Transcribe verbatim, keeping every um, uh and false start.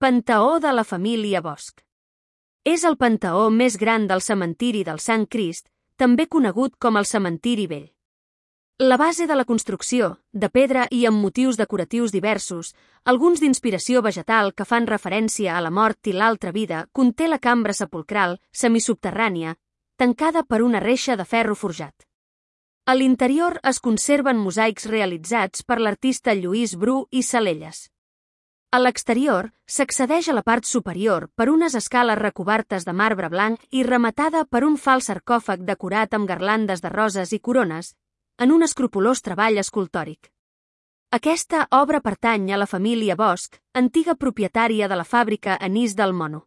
Panteó de la família Bosch. És el panteó més gran del cementiri del Sant Crist, també conegut com el cementiri vell. La base de la construcció, de pedra i amb motius decoratius diversos, alguns d'inspiració vegetal que fan referència a la mort i l'altra vida, conté la cambra sepulcral, semisubterrània, tancada per una reixa de ferro forjat. A l'interior es conserven mosaics realitzats per l'artista Lluís Bru i Salelles. A l'exterior s'accedeix a la part superior per unes escales recobertes de marbre blanc i rematada per un fals sarcòfag decorat amb garlandes de roses i corones, en un escrupolós treball escultòric. Aquesta obra pertany a la família Bosch, antiga propietària de la fàbrica Anís del Mono.